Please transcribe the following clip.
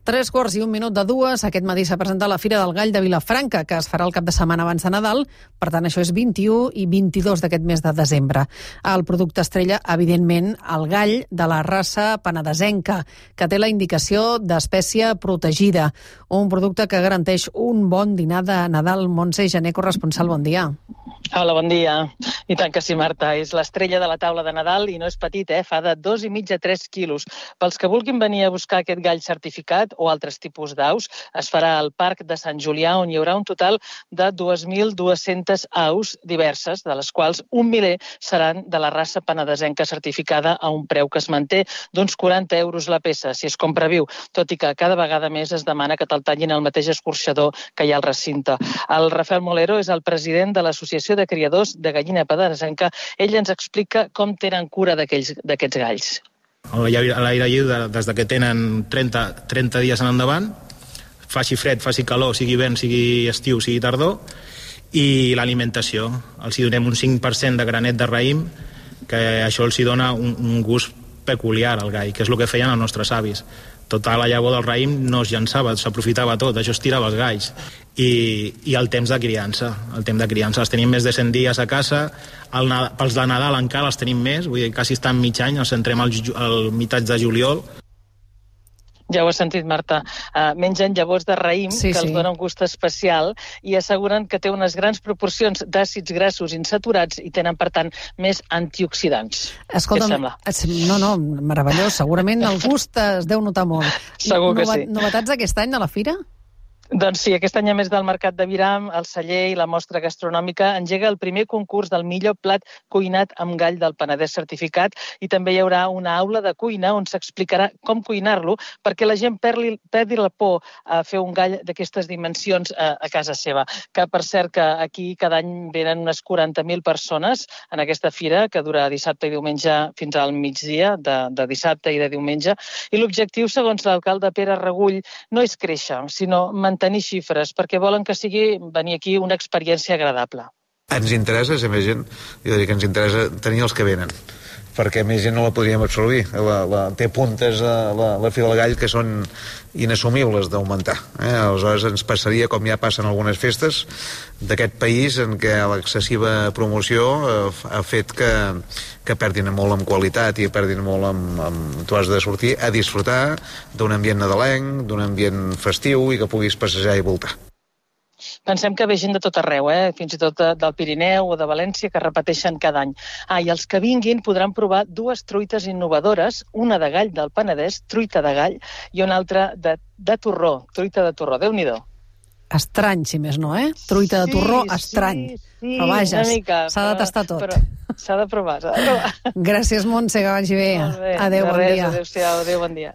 3:01, aquest matí s'ha presentat la Fira del Gall de Vilafranca, que es farà el cap de setmana abans de Nadal. Per tant, això és 21 i 22 d'aquest mes de desembre. El producte estrella, evidentment, el gall de la raça penedesenca, que té la indicació d'espècie protegida. Un producte que garanteix un bon dinar de Nadal. Montse Gené, corresponsal, bon dia. Hola, bon dia. I tant que sí, Marta. És l'estrella de la taula de Nadal i no és petit, fa de 2,5 a 3 quilos. Pels que vulguin venir a buscar aquest gall certificat o altres tipus d'aus, es farà al Parc de Sant Julià, on hi haurà un total de 2.200 aus diverses, de les quals 1 miler seran de la raça penedesenca certificada a un preu que es manté d'uns 40 euros la peça, si es compra viu, tot i que cada vegada més es demana que te'l tallin al mateix escorxador que hi ha al recinte. El Rafael Molero és el president de l'Associació de Criadors de Gallina Penedesenca. Ell ens explica com tenen cura d'aquests galls. A l'aire lliure des que tenen 30 dies en endavant, faci fred, faci calor, sigui vent, sigui estiu, sigui tardor, i l'alimentació. Els donem un 5% de granet de raïm, que això els dona un gust peculiar al gall, que és el que feien els nostres avis. Tota la llavor del raïm no es llançava, s'aprofitava tot, això es tirava els galls. I el temps de criança. Els tenim més de 100 dies a casa, pels de Nadal encara els tenim més, vull dir, quasi estan mig any, els entrem al meitat de juliol. Ja ho has sentit, Marta. Mengen llavors de raïm, que els donen un gust especial, i asseguren que té unes grans proporcions d'àcids grassos insaturats i tenen, per tant, més antioxidants. Escolta'm, què et sembla? No, meravellós. Segurament el gust es deu notar molt. Segur que sí. Novetats aquest any de la Fira? Doncs sí, aquest any, a més del Mercat de Viram, el celler i la mostra gastronòmica, engega el primer concurs del millor plat cuinat amb gall del Penedès certificat, i també hi haurà una aula de cuina on s'explicarà com cuinar-lo perquè la gent perdi la por a fer un gall d'aquestes dimensions a casa seva. Que, per cert, que aquí cada any venen unes 40.000 persones en aquesta fira, que dura dissabte i diumenge fins al migdia, de dissabte i de diumenge, i l'objectiu, segons l'alcalde Pere Regull, no és créixer, sinó mantenir xifres, perquè volen que sigui venir aquí una experiència agradable. Ens interessa ser més gent, jo diria que ens interessa tenir els que venen, perquè més gent no la podríem absorbir. Té puntes la Fira del Gall que són inassumibles d'augmentar. Aleshores ens passaria, com ja passa en algunes festes d'aquest país, en què l'excessiva promoció ha fet que perdin molt en qualitat i perdin molt en... Tu has de sortir a disfrutar d'un ambient nadalenc, d'un ambient festiu, i que puguis passejar i voltar. Pensem que ve gent de tot arreu, fins i tot del Pirineu o de València, que repeteixen cada any. I els que vinguin podran provar 2 truites innovadores, una de gall del Penedès, truita de gall, i una altra de torró, truita de torró. Déu-n'hi-do. Estrany, si més no, Truita de torró, estrany. Sí, però vaja, s'ha de tastar tot. S'ha de provar. Gràcies, Montse, que vagi bé. Molt bé. Adéu, bon dia. Adéu-siau, adéu, bon dia.